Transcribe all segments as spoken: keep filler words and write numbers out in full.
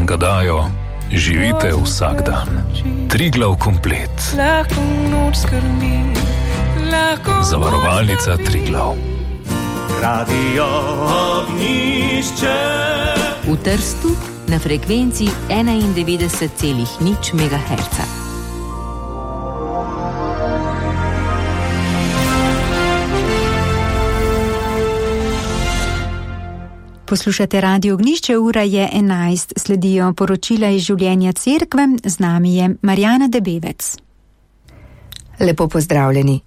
vam ga dajo, živite vsak dan. Triglav komplet. Zavarovalnica Triglav. Radio Ognjišče. V Trstu na frekvenci enaindevetdeset celih nič megaherca. Poslušate Radio Ognjišče, ura je enajst, sledijo poročila iz življenja cerkve, z nami je Marjana Debevec. Lepo pozdravljeni.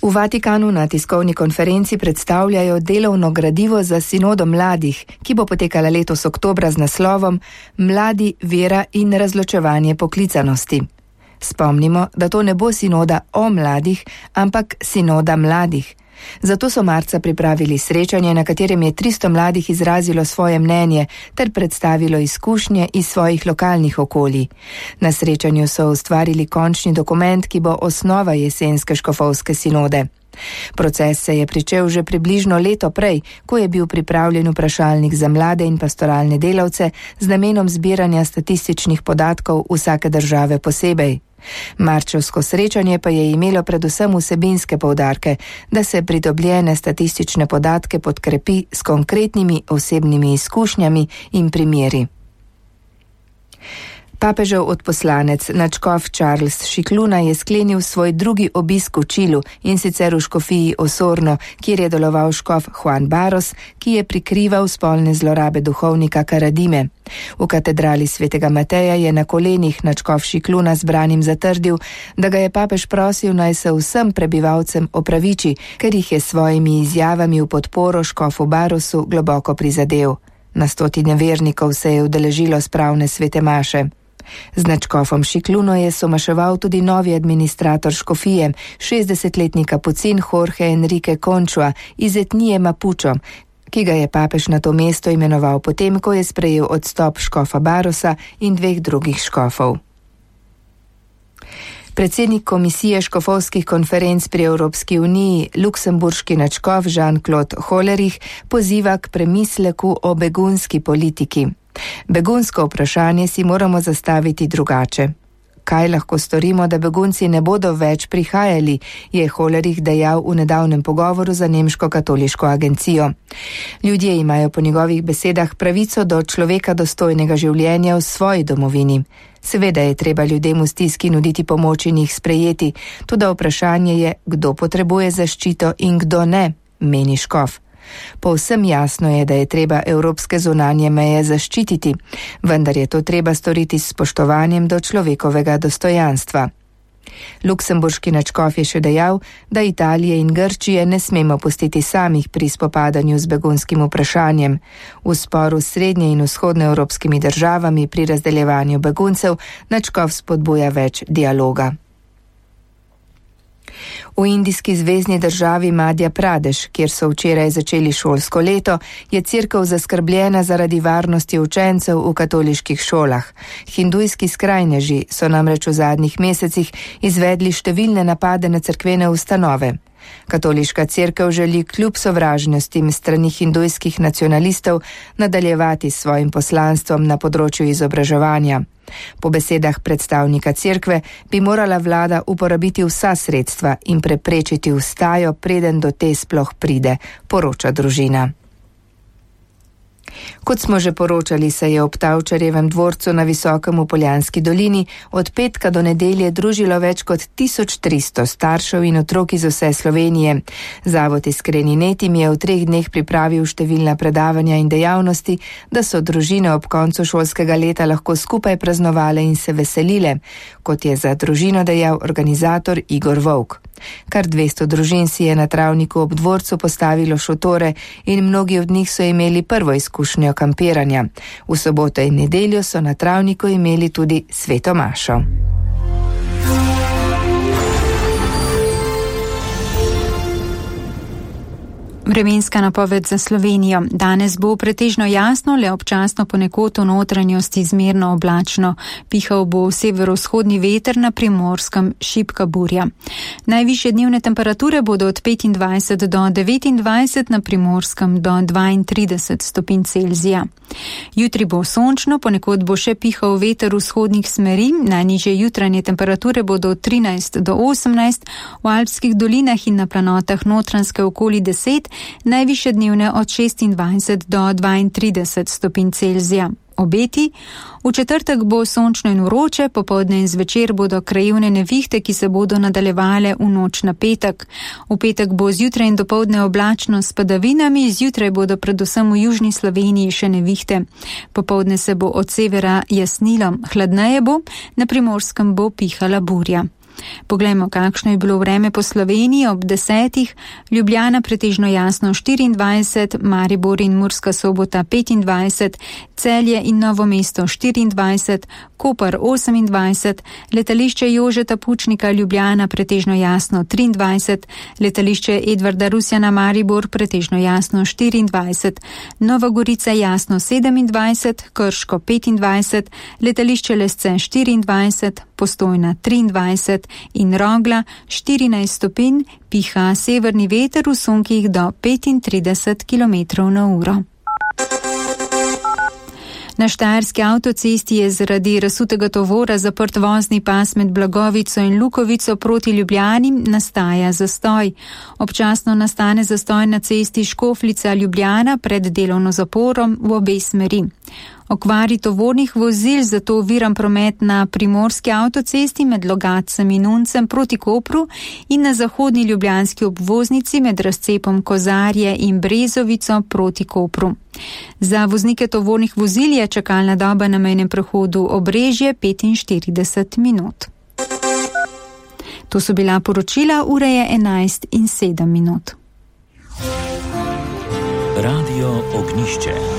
V Vatikanu na tiskovni konferenci predstavljajo delovno gradivo za sinodo mladih, ki bo potekala letos oktobra z naslovom Mladi, vera in razločevanje poklicanosti. Spomnimo, da to ne bo sinoda o mladih, ampak sinoda mladih. Zato so marca pripravili srečanje, na katerem je tristo mladih izrazilo svoje mnenje ter predstavilo izkušnje iz svojih lokalnih okolij. Na srečanju so ustvarili končni dokument, ki bo osnova jesenske škofovske sinode. Proces se je pričel že približno leto prej, ko je bil pripravljen vprašalnik za mlade in pastoralne delavce z namenom zbiranja statističnih podatkov vsake države posebej. Marčevsko srečanje pa je imelo predvsem vsebinske poudarke, da se pridobljene statistične podatke podkrepi s konkretnimi osebnimi izkušnjami in primeri. Papežev odposlanec, nadškof Charles Šikluna, je sklenil svoj drugi obisk v Čilu, in sicer v škofiji Osorno, kjer je deloval škof Juan Barros, ki je prikrival spolne zlorabe duhovnika Karadime. V katedrali svetega Mateja je na kolenih nadškof Šikluna zbranim zatrdil, da ga je papež prosil, naj se vsem prebivalcem opraviči, ker jih je svojimi izjavami v podporo škofu Barrosu globoko prizadel. Na stotine vernikov se je udeležilo spravne svete maše. Z nadškofom Šikluno je somaševal tudi novi administrator škofije, šestdesetletni kapucin Jorge Enrique Conchua iz etnije Mapučo, ki ga je papež na to mesto imenoval potem, ko je sprejel odstop škofa Barrosa in dveh drugih škofov. Predsednik komisije škofovskih konferenc pri Evropski uniji, luksemburški nadškof Jean-Claude Hollerich, poziva k premisleku o begunski politiki. Begunsko vprašanje si moramo zastaviti drugače. Kaj lahko storimo, da begunci ne bodo več prihajali, je Hollerich dejal v nedavnem pogovoru za nemško katoliško agencijo. Ljudje imajo po njegovih besedah pravico do človeka dostojnega življenja v svoji domovini. Seveda je treba ljudem v stiski nuditi pomoč in jih sprejeti, tudi vprašanje je, kdo potrebuje zaščito in kdo ne, meni škof. Povsem jasno je, da je treba evropske zunanje meje zaščititi, vendar je to treba storiti s spoštovanjem do človekovega dostojanstva. Luksemburški nadškof je še dejal, da Italije in Grčije ne smemo pustiti samih pri spopadanju z begunskim vprašanjem. V sporu s srednje in vzhodne evropskimi državami pri razdeljevanju beguncev nadškof spodbuja več dialoga. V indijski zvezni državi Madhja Pradeš, kjer so včeraj začeli šolsko leto, je cerkev zaskrbljena zaradi varnosti učencev v katoliških šolah. Hindujski skrajneži so namreč v zadnjih mesecih izvedli številne napade na cerkvene ustanove. Katoliška cerkev želi kljub sovražnostim strani hindujskih nacionalistov nadaljevati s svojim poslanstvom na področju izobraževanja. Po besedah predstavnika cerkve bi morala vlada uporabiti vsa sredstva in preprečiti vstajo, preden do te sploh pride, poroča Družina. Kot smo že poročali, se je ob Tavčarjevem dvorcu na Visokem v Poljanski dolini od petka do nedelje družilo več kot tisoč tristo staršev in otrok iz vse Slovenije. Zavod Iskreni net jim je v treh dneh pripravil številna predavanja in dejavnosti, da so družine ob koncu šolskega leta lahko skupaj praznovale in se veselile, kot je za Družino dejal organizator Igor Vovk. Kar dvesto družin si je na travniku ob dvorcu postavilo šotore in mnogi od njih so imeli prvo izkušnjo kampiranja. V soboto in nedeljo so na travniku imeli tudi sveto mašo. Vremenska napoved za Slovenijo. Danes bo pretežno jasno, le občasno ponekod v notranjosti zmerno oblačno. Pihal bo severovzhodni veter, na Primorskem šibka burja. Najvišje dnevne temperature bodo od petindvajset do devetindvajset, na Primorskem do dvaintrideset stopinj Celzija. Jutri bo sončno, ponekod bo še pihal veter vzhodnih smeri. Najnižje jutranje temperature bodo od trinajst do osemnajst, v alpskih dolinah in na planotah Notranjske okoli deset, najvišje dnevne od šestindvajset do dvaintrideset stopinj Celzija. Obeti. V četrtek bo sončno in vroče, popoldne in zvečer bodo krajevne nevihte, ki se bodo nadaljevale v noč na petek. V petek bo zjutraj in dopoldne oblačno s padavinami, zjutraj bodo predvsem v južni Sloveniji še nevihte. Popoldne se bo od severa jasnilo, hladneje bo, na Primorskem bo pihala burja. Poglejmo, kakšno je bilo vreme po Sloveniji ob desetih. Ljubljana pretežno jasno štiriindvajset, Maribor in Murska Sobota petindvajset, Celje in Novo mesto štiriindvajset, Koper osemindvajset, letališče Jožeta Pučnika Ljubljana pretežno jasno triindvajset, letališče Edvarda Rusjana Maribor pretežno jasno štiriindvajset, Nova Gorica jasno sedemindvajset, Krško petindvajset, letališče Lesce štiriindvajset, Postojna triindvajset in Rogla štirinajst stopinj, piha severni veter v sunkih do petintrideset kilometrov na uro. Na štajerski avtocesti je zaradi razsutega tovora zaprt vozni pas med Blagovico in Lukovico proti Ljubljani, nastaja zastoj. Občasno nastane zastoj na cesti Škofljica Ljubljana pred delovno zaporom v obe smeri. Okvari tovornih vozil zato oviran promet na primorski avtocesti med Logatcem in Uncem proti Kopru in na zahodni ljubljanski obvoznici med razcepom Kozarje in Brezovico proti Kopru. Za voznike tovornih vozil je čakalna doba na mejnem prehodu Obrežje petinštirideset minut. To so bila poročila, ura je enajst in sedem minut. Radio Ognišče.